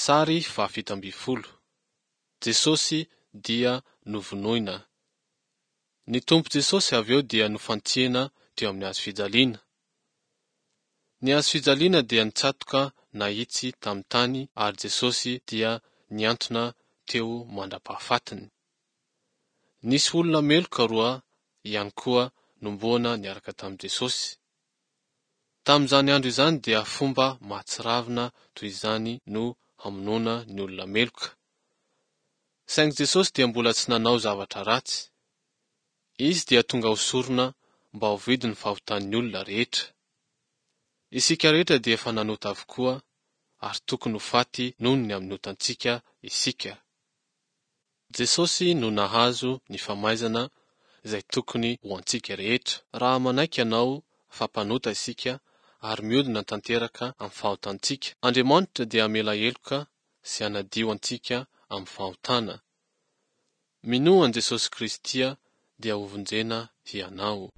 Sary faha-17. Jesosy dia novonoina. Ny Tompo Jesosy avy eo dia nofantsihana teo amin'ny hazo fijaliana. Ny hazo fijaliana dia nitsatoka nahitsy tamin'ny tany ary Jesosy dia nihantona teo mandra-pahafatiny. Nisy olona meloka roa ihany koa nomboana niaraka tamin'i Jesosy. Tamin'izany andro izany dia fomba mahatsiravina toy izany no hamonoana ny olona meloka. Saingy Jesosy dia mbola tsy nanao zavatra ratsy. Izy dia tonga ho sorona mba ho vidin'ny fahotan'ny olona rehetra. Isika rehetra dia efa nanota avokoa ary tokony ho faty noho ny amin'ny otantsika isika. Jesosy no nahazo ny famaizana izay tokony ho antsika rehetra. Raha manaiky ianao fa mpanota isika ary miodina tanteraka amin'ny fahotantsika, Andriamanitra dia hamela heloka sy hanadio antsika amin'ny fahotana. Minoa an'i Jesosy Kristy dia hovonjena hianao.